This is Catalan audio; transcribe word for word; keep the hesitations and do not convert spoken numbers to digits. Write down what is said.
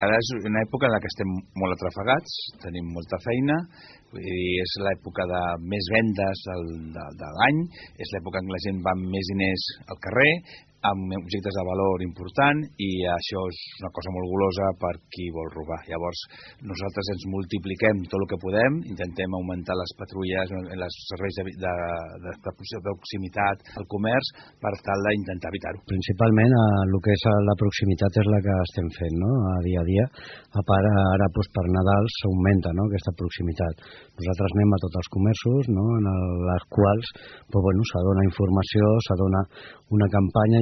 Ara és una època en la que estem molt atrafegats, tenim molta feina, vull dir, és l'època de més vendes del, de, de l'any, és l'època en què la gent va amb més diners al carrer, amb objectes de valor important, i això és una cosa molt golosa per qui vol robar. Llavors, nosaltres ens multipliquem tot el que podem, intentem augmentar les patrulles, els serveis de, de, de, de proximitat, el comerç, per tal d'intentar evitar-ho. Principalment, el que és la proximitat és la que estem fent, no?, a dia a dia. A part, ara doncs, per Nadal s'augmenta, no?, aquesta proximitat. Nosaltres anem a tots els comerços, no?, en els quals doncs, bueno, s'adona informació, s'adona una campanya.